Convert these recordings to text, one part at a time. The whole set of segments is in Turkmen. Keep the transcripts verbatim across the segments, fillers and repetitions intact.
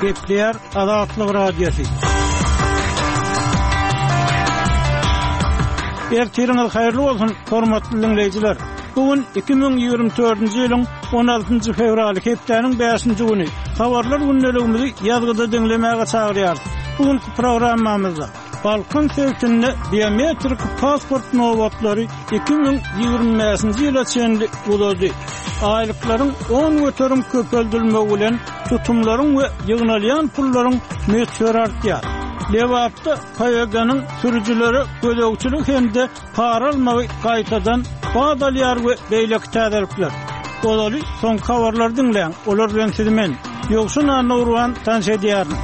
Gepleýär Azatlyk Radiosy. Ertiriňiz haýyrly bolsun, hormatly diňleýjiler. Bu gün iki müň ýigrimi dördünji ýylyň on altynjy fewraly, hepdäniň bäşinji güni. Habarlar gündeligimizi ýazgyda diňlemäge çagyrýarys. Bu günki programmamyzda Balkan sebitinde biometrik pasport nobatlary iki müň ýigrimi bäşinji ýyla çenli uzady. Aýlyklaryň on göterim köpeldilmegi bilen tutumlaryň we ýygnalýan pullaryň möçberi artýar. Lebapda P Y G-niň sürüjilere gözegçilik hem-de para almagy gaýtadan bat alýar we beýleki täzelikler. Ozaly soňky habarlary diňläň. Olar bilen sizi men, Ýowşan Annagurban tanyş edýärin.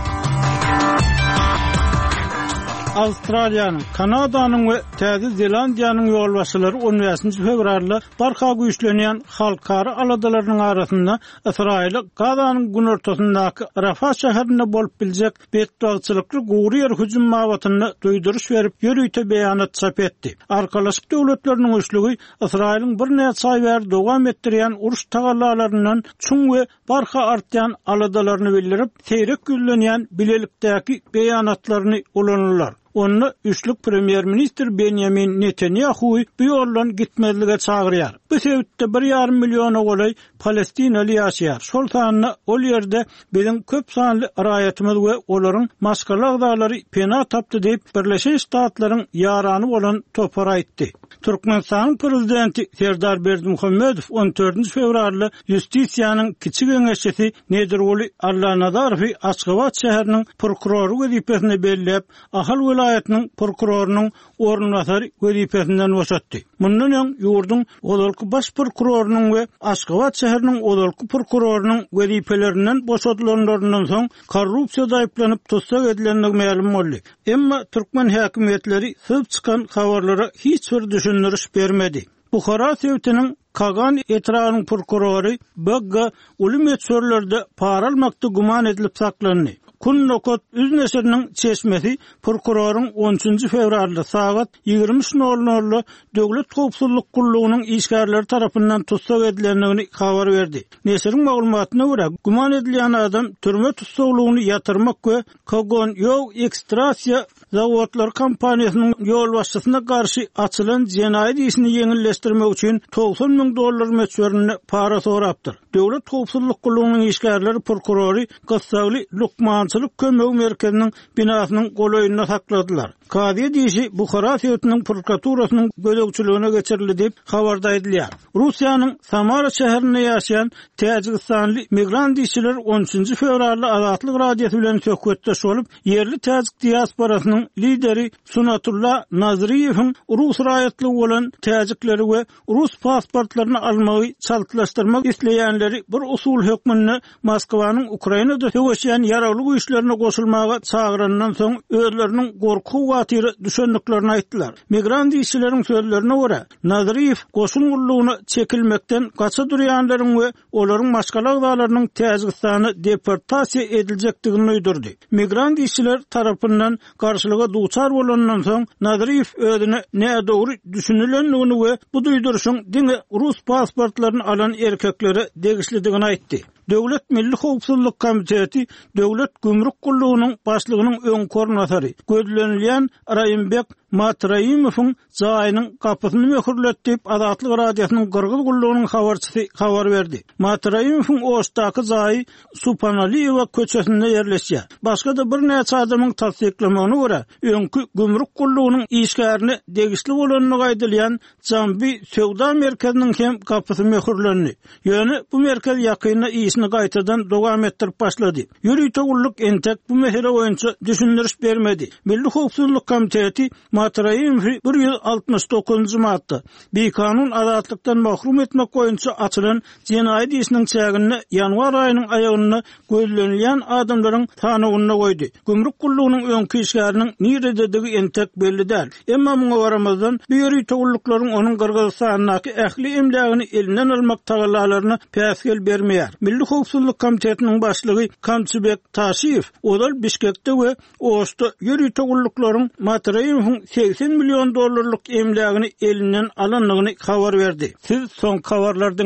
Awstraliýanyň, Kanadanyň we Täze Zelandiýanyň ýolbaşçylary on bäşinji fewralda barha güýçlenýän halkara aladalarynyň arasynda Ysraýyly Gazanyň günortasyndaky Rafah şäherinde bolup biljek betbagtçylykly gury ýer hüjüm babatynda duýduryş berip, ýörite beýanat çap etdi. Arkalaşyk döwletleriniň üçlügi Ysraýylyň birnäçe aý bäri dowam etdirýän uruş tagallalaryndan çuň we barha artýan aladalaryny bildirip, seýrek ýüzlenýän bilelikdäki beýanatlaryny ulandylar. Onda üçlük premýer-ministr Benjamin Netanyahu'y bu ýoldan gitmezlige çagyrýar. Bu sebitde bir ýarym milliona golaý Palestinaly ýaşaýar. Şol sanda ol ýerde biziň köp sanly raýatymyz we olaryň maşgala agzalary pena tapdy diýip Birleşen Ştatlaryň ýarany bolan topar aýtdy. Türkmenistanyň prezidenti Serdar Berdimuhamedow on dördünji fewralda Ýustisiýanyň kiçi geňeşçisi Nedirguly Allanazarowy Aşgabat şäheriniň prokurory wezipesine belläp, Ahal welaýatynyň prokurorynyň orunbasary wezipesinden boşatdy. Mundan öň ýurduň ozalky baş prokurorynyň we Aşgabat şäheriniň ozalky prokurorynyň wezipelerinden boşadylanlaryndan soň korrupsiýada aýyplanyp tussag edilendigi mälim boldy. Emma türkmen häkimiýetleri syzyp çykan habarlara hiç bir düşündiriş bermedi. Buhara sebitiniň Kagan etrabynyň prokurory B G uly möçberlerde para almakda güman edilip saklandy. Kun nokat üz neşiriniň çeşmesi prokuroryň on üçünji fewralda sagat ýigrimi üç nol nolda Döwlet howpsuzlyk gullugynyň işgärleri tarapyndan tussag edilendigini habar berdi. Neşiriň maglumatyna görä, güman edilýän adam türme tussaglygyny ýatyrmak we Kogon Ýow ekstrasiýa zawodlar kompaniýasynyň ýolbaşçysyna garşy açylan jenaýat işini ýeňilleşdirmek üçin togsan müň dollar möçberinde para sorapdyr. Döwlet howpsuzlyk gullugynyň işgärleri prokurory gyssagly lukmançylyk kömegi merkeziniň binasynyň golaýynda sakladylar. Kazyýet işi Buhara sebitiniň prokuraturasynyň gözegçiligine geçirildi diýip habarda aýdylýar. Russiýanyň Samara şäherinde ýaşaýan Täjigistanly migrant işçiler on üçünji fewralda Azatlyk Radiosy bilen söhbetdeş bolup, ýerli täjik diasporasynyň lideri Sunatulla Nazriýewiň rus raýatlygy bolan täjikleri we rus pasportlaryny almagy çaltlaşdyrmak isleýänleri bir usul hökmünde Moskwanyň Ukrainada söweşýän ýaragly güýçlerine goşulmaga çagyrandan soň özleriniň gorky watyry düşendiklerini aýtdylar. Migrant işçileriň sözlerine görä, Nazriýew goşun gullugyna çekilmekden gaça durýanlaryň we olaryň maşgala agzalarynyň Täjigistana deportasiýa ediljekdigini duýdurdy. Migrant işçiler tarapyndan garşylyga duçar bolandan soň Nazriýew özüne nädogry düşünilendigini we bu duýduryşyň diňe rus pasportlaryny alan erkeklere degişlidigini aýtdy. Döwlet Milli Howpsuzlyk Komiteti Döwlet Gümrük Gullugynyň başlygynyň öň koordinatory gözlenilýän Raýimbek Matraimowyň jaýynyň gapysyny möhürletdi diýip Azatlyk Radiosynyň Gyrgyz gullugynyň habarçysy habar berdi. Matraimowyň Oşdaky jaýy Supanaliýewa köçesinde ýerleşýär. Başga-da birnäçe adamyň tassyklamagyna görä, öňki gümrük gullugynyň işgärine degişli bolandygy aýdylýan Jambi söwda merkeziniň hem gapysy möhürlendi. Ýöne bu merkez ýakynda işini gaýtadan dowam etdirip başlady. Ýörite gulluk entek bu mesele boýunça düşündiriş bermedi. Milli Howpsuzlyk Komiteti Matraimowy bir ýüz altmyş dokuzynjy madda bikanun azatlykdan mahrum etmek boýunça açylan jenaýat işiniň çäginde ýanwar aýynyň aýagynda gözlenilýän adamlaryň sanawynda goýdy. Gümrük gullugynyň öňki işgäriniň nirededigi entek belli däl. Emma muňa garamazdan bu ýörite gulluklaryň onuň Gyrgyzystandaky ähli emlägini elinden almak tagallalaryna päsgel bermeýär. Milli Howpsuzlyk Komitetiniň başlygy Kamçybek Taşiýew ozal Bişkekde we Oşda ýörite gulluklaryň Matraimowyň seksen million dollarlyk emlägini elinden alandygyny habar berdi. Siz soňky habarlary diňläň.